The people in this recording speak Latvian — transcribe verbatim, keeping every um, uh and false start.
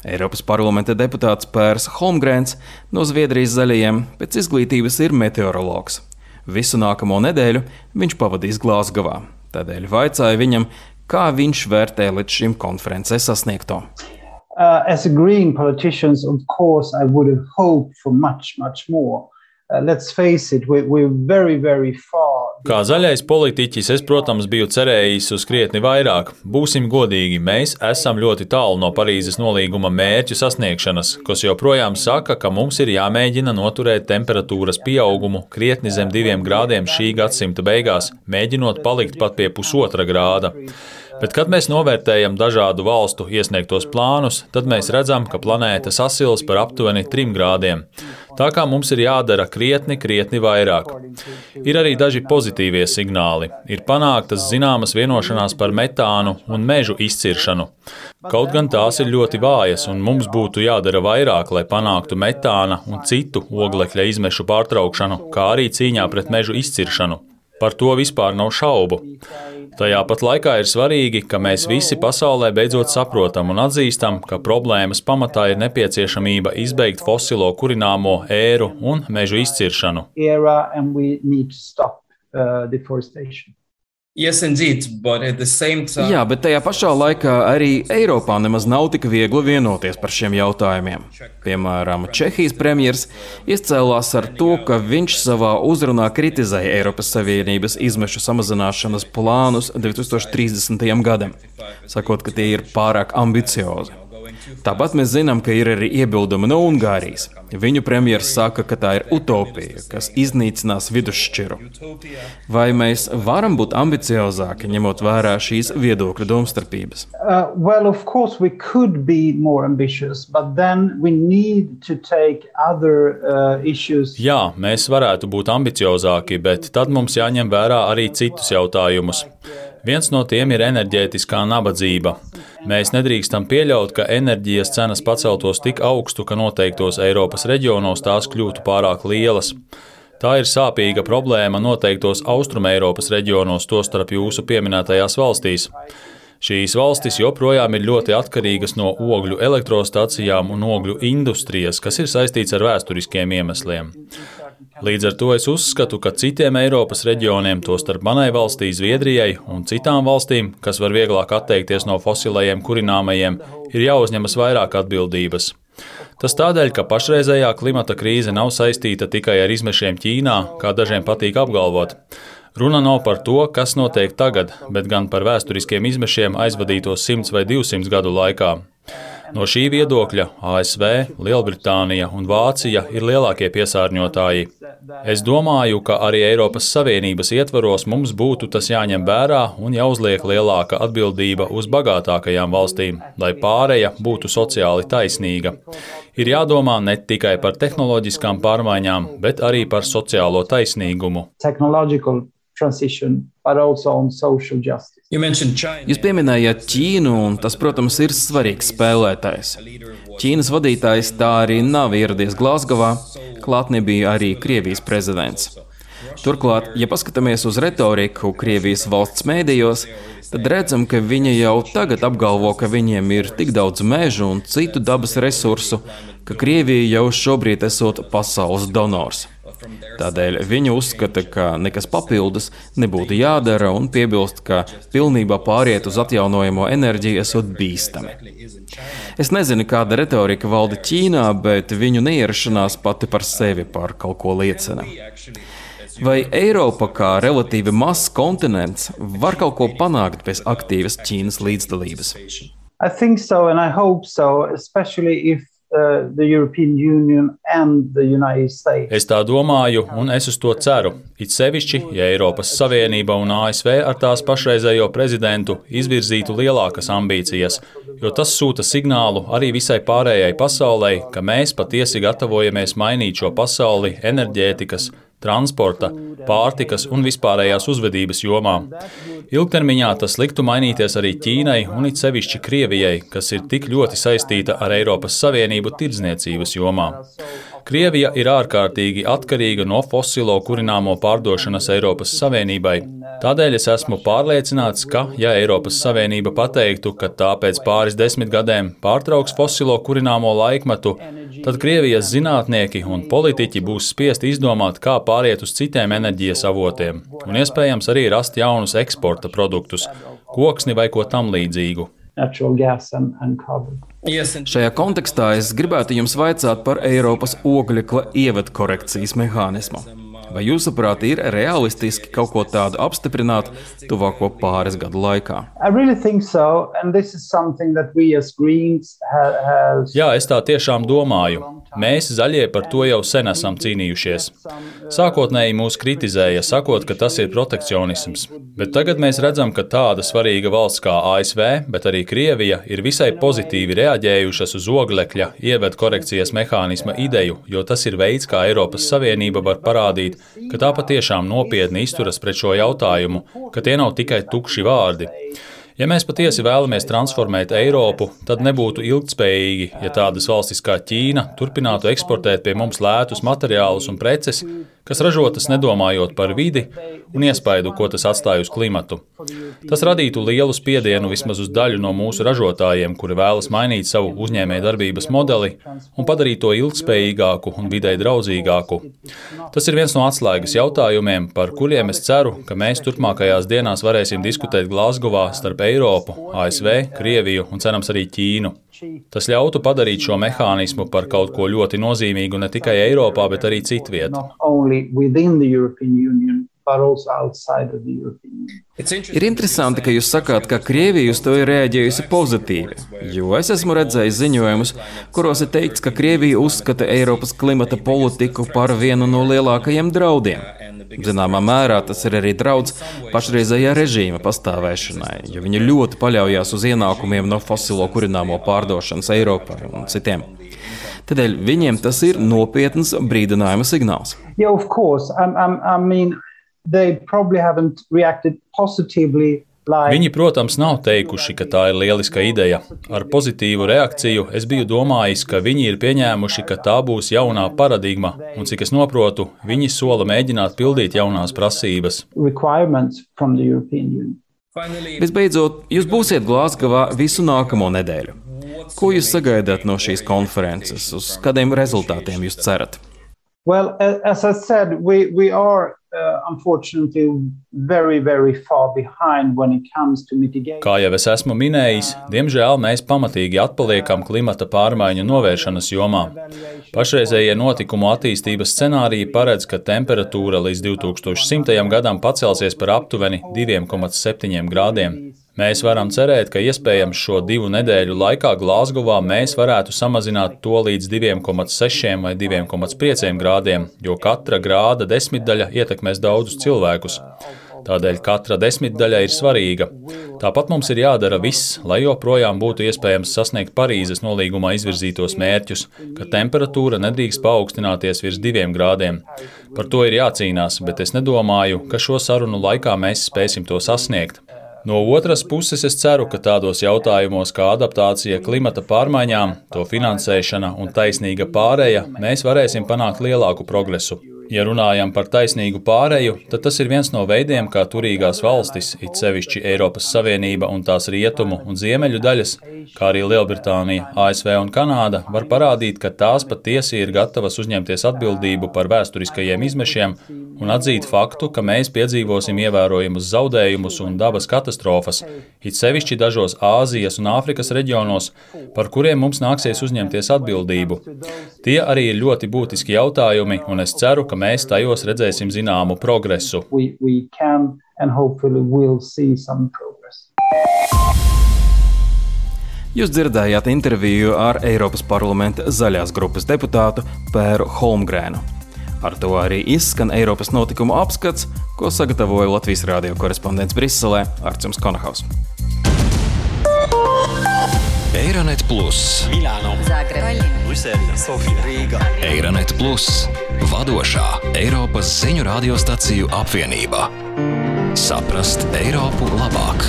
Eiropas parlamenta deputāts Pērs Holmgrēns no Zviedrijas zaļajiem pēc izglītības ir meteorologs. Visu nākamo nedēļu viņš pavadīs Glāzgovā. Tādēļ vaicāja viņam, kā viņš vērtē līdz šim konferencē sasniegto. Uh, as a Green politician, of course, I would have hoped for much, much more. Uh, let's face it, we're, we're very, very far. Kā zaļais politiķis, es, protams, biju cerējis uz krietni vairāk. Būsim godīgi, mēs esam ļoti tālu no Parīzes nolīguma mērķu sasniegšanas, kas joprojām saka, ka mums ir jāmēģina noturēt temperatūras pieaugumu krietni zem diviem grādiem šī gadsimta beigās, mēģinot palikt pat pie pusotra grāda. Bet, kad mēs novērtējam dažādu valstu iesniegtos plānus, tad mēs redzam, ka planēta sasils par aptuveni trim grādiem. Tā kā mums ir jādara krietni, krietni vairāk. Ir arī daži pozitīvie signāli. Ir panāktas zināmas vienošanās par metānu un mežu izciršanu. Kaut gan tās ir ļoti vājas, un mums būtu jādara vairāk, lai panāktu metāna un citu oglekļa izmešu pārtraukšanu, kā arī cīņā pret mežu izciršanu. Par to vispār nav šaubu. Tajā pat laikā ir svarīgi, ka mēs visi pasaulē beidzot saprotam un atzīstam, ka problēmas pamatā ir nepieciešamība izbeigt fosilo kurināmo ēru un mežu izciršanu. Yes, indeed, but at the same time... Jā, bet tajā pašā laikā arī Eiropā nemaz nav tik viegli vienoties par šiem jautājumiem. Piemēram, Čehijas premjers izcēlās ar to, ka viņš savā uzrunā kritizēja Eiropas Savienības izmešu samazināšanas plānus divi tūkstoši trīsdesmitajam gadam, sakot, ka tie ir pārāk ambiciozi. Tāpat mēs zinām, ka ir arī iebildumi no Ungārijas. Viņu premjers saka, ka tā ir utopija, kas iznīcinās vidusšķiru. Vai mēs varam būt ambiciozāki, ņemot vērā šīs viedokļu domstarpības? Uh, well, of course we could be more ambitious, but then we need to take other uh, issues. Jā, mēs varētu būt ambiciozāki, bet tad mums jāņem vērā arī citus jautājumus. Viens no tiem ir enerģētiskā nabadzība. Mēs nedrīkstam pieļaut, ka enerģijas cenas paceltos tik augstu, ka noteiktos Eiropas reģionos tās kļūtu pārāk lielas. Tā ir sāpīga problēma noteiktos Austrumeiropas reģionos, tostarp jūsu pieminētajās valstīs. Šīs valstis joprojām ir ļoti atkarīgas no ogļu elektrostacijām un ogļu industrijas, kas ir saistīts ar vēsturiskiem iemesliem. Līdz ar to es uzskatu, ka citiem Eiropas reģioniem, tostarp manai valstī Zviedrijai un citām valstīm, kas var vieglāk atteikties no fosilajiem kurināmajiem, ir jāuzņemas vairāk atbildības. Tas tādēļ, ka pašreizējā klimata krīze nav saistīta tikai ar izmešiem Ķīnā, kā dažiem patīk apgalvot. Runa nav par to, kas notiek tagad, bet gan par vēsturiskiem izmešiem aizvadītos simts vai divsimt gadu laikā. No šī viedokļa A S V, Lielbritānija un Vācija ir lielākie piesārņotāji. Es domāju, ka arī Eiropas Savienības ietvaros mums būtu tas jāņem vērā un jāuzliek lielāka atbildība uz bagātākajām valstīm, lai pāreja būtu sociāli taisnīga. Ir jādomā ne tikai par tehnoloģiskām pārmaiņām, bet arī par sociālo taisnīgumu. Transition, but also on social justice. Jūs pieminējāt Ķīnu, un tas, protams, ir svarīgs spēlētājs. Ķīnas vadītājs tā arī nav ieradies Glāzgovā, klāt nebija arī Krievijas prezidents. Turklāt, ja paskatāmies uz retoriku Krievijas valsts mēdījos, tad redzam, ka viņi jau tagad apgalvo, ka viņiem ir tik daudz mežu un citu dabas resursu, ka Krievija jau šobrīd esot pasaules donors. Tādēļ viņi uzskata, ka nekas papildus nebūtu jādara un piebilst, ka pilnībā pāriet uz atjaunojamo enerģiju esot bīstami. Es nezinu, kāda retorika valda Ķīnā, bet viņu neierašanās pati par sevi par kaut ko liecina. Vai Eiropa kā relatīvi mazs kontinents var kaut ko panākt bez aktīvas Ķīnas līdzdalības? I think so and I hope so, especially if Uh, the European Union and the United States. Es tā domāju, un es uz to ceru. It sevišķi, ja Eiropas Savienība un A S V ar tās pašreizējo prezidentu izvirzītu lielākas ambīcijas, jo tas sūta signālu arī visai pārējai pasaulei, ka mēs patiesi gatavojamies mainīt šo pasauli enerģētikas, transporta, pārtikas un vispārējās uzvedības jomā. Ilgtermiņā tas liktu mainīties arī Ķīnai un it sevišķi Krievijai, kas ir tik ļoti saistīta ar Eiropas Savienību tirdzniecības jomā. Krievija ir ārkārtīgi atkarīga no fosilo kurināmo pārdošanas Eiropas Savienībai. Tādēļ es esmu pārliecināts, ka, ja Eiropas Savienība pateiktu, ka tā pēc pāris desmit gadiem pārtrauks fosilo kurināmo laikmetu, tad Krievijas zinātnieki un politiķi būs spiesti izdomāt, kā pāriet uz citiem enerģijas avotiem, un iespējams arī rast jaunus eksporta produktus, koksni vai ko tam līdzīgu. Šajā kontekstā es gribētu jums vaicāt par Eiropas oglekla ievadu korekcijas mehānismu. Vai jūsuprāt ir realistiski kaut ko tādu apstiprināt tuvāko pāris gadu laikā? Jā, es tā tiešām domāju. Mēs, zaļie, par to jau sen esam cīnījušies. Sākotnēji mūs kritizēja, sakot, ka tas ir protekcionisms. Bet tagad mēs redzam, ka tāda svarīga valsts kā A S V, bet arī Krievija, ir visai pozitīvi reaģējušas uz oglekļa ievadu korekcijas mehānisma ideju, jo tas ir veids, kā Eiropas Savienība var parādīt, ka tā patiešām nopietni izturas pret šo jautājumu, ka tie nav tikai tukši vārdi. Ja mēs patiesi vēlamies transformēt Eiropu, tad nebūtu ilgtspējīgi, ja tādas valstis kā Ķīna turpinātu eksportēt pie mums lētus materiālus un preces, kas ražotas nedomājot par vidi un iespaidu, ko tas atstāj uz klimatu. Tas radītu lielu spiedienu vismaz uz daļu no mūsu ražotājiem, kuri vēlas mainīt savu uzņēmējdarbības modeli un padarīt to ilgtspējīgāku un videi draudzīgāku. Tas ir viens no atslēgas jautājumiem, par kuriem es ceru, ka mēs turpmākajās dienās varēsim diskutēt Glazgovā starp Eiropu, A S V, Krieviju un cerams arī Ķīnu. Tas ļautu padarīt šo mehānismu par kaut ko ļoti nozīmīgu ne tikai Eiropā, bet arī citviet. Ir interesanti, ka jūs sakāt, ka Krievija uz to ir reaģējusi pozitīvi, jo es esmu redzējis ziņojumus, kuros ir teikts, ka Krievija uzskata Eiropas klimata politiku par vienu no lielākajiem draudiem. Zināmā mērā tas ir arī draudz pašreizējā režīma pastāvēšanai, jo viņi ļoti paļaujās uz ienākumiem no fosilo kurināmo pārdošanas Eiropā un citiem. Tādēļ viņiem tas ir nopietns brīdinājuma signāls. Yeah, of course. I, I, I mean, they probably haven't reacted positively. Viņi, protams, nav teikuši, ka tā ir lieliska ideja. Ar pozitīvu reakciju es biju domājis, ka viņi ir pieņēmuši, ka tā būs jaunā paradigma, un cik es noprotu, viņi sola mēģināt pildīt jaunās prasības. Visbeidzot, jūs būsiet Glazgovā visu nākamo nedēļu. Ko jūs sagaidāt no šīs konferences? Uz kādiem rezultātiem jūs cerat? Well, as I said, we, we are uh, unfortunately very, very far behind when it comes to mitigation. Kā jau es esmu minējis, diemžēl mēs pamatīgi atpaliekam klimata pārmaiņu novēršanas jomā. Pašreizējie notikumu attīstības scenāriji paredz, ka temperatūra līdz divi tūkstoši simtajam gadam pacelsies par aptuveni divi komats septiņi grādiem. Mēs varam cerēt, ka iespējams šo divu nedēļu laikā Glazgovā mēs varētu samazināt to līdz divi komats seši vai divi komats pieci grādiem, jo katra grāda desmitdaļa ietekmēs daudzus cilvēkus. Tādēļ katra desmitdaļa ir svarīga. Tāpat mums ir jādara viss, lai joprojām būtu iespējams sasniegt Parīzes nolīgumā izvirzītos mērķus, ka temperatūra nedrīkst paaugstināties virs diviem grādiem. Par to ir jācīnās, bet es nedomāju, ka šo sarunu laikā mēs spēsim to sasniegt. No otras puses, es ceru, ka tādos jautājumos kā adaptācija klimata pārmaiņām, to finansēšana un taisnīga pāreja, mēs varēsim panākt lielāku progresu. Ja runājam par taisnīgu pāreju, tad tas ir viens no veidiem, kā turīgās valstis, it sevišķi Eiropas Savienība un tās rietumu un ziemeļu daļas, kā arī Lielbritānija, A S V un Kanāda, var parādīt, ka tās patiesi ir gatavas uzņemties atbildību par vēsturiskajiem izmešiem un atzīt faktu, ka mēs piedzīvosim ievērojumus zaudējumus un dabas katastrofas, it sevišķi dažos Āzijas un Āfrikas reģionos, par kuriem mums nāksies uzņemties atbildību. Tie arī ir ļoti būtiski jautājumi, un es ceru, ka mēs tajos redzēsim zināmu progresu. We, we can and hopefully will see some progress. Jūs dzirdējāt interviju ar Eiropas parlamenta zaļās grupas deputātu Pēru Holmgrēnu. Ar to arī izskan Eiropas notikumu apskats, ko sagatavoja Latvijas radio korespondents Briselē Artjums Konahaus. Eironet Plus, Milāno, Zagreba, Brisele, Sofija, Rīga. Eironet Plus, vadošā Eiropas ziņu radiostaciju apvienība. Saprast Eiropu labāk.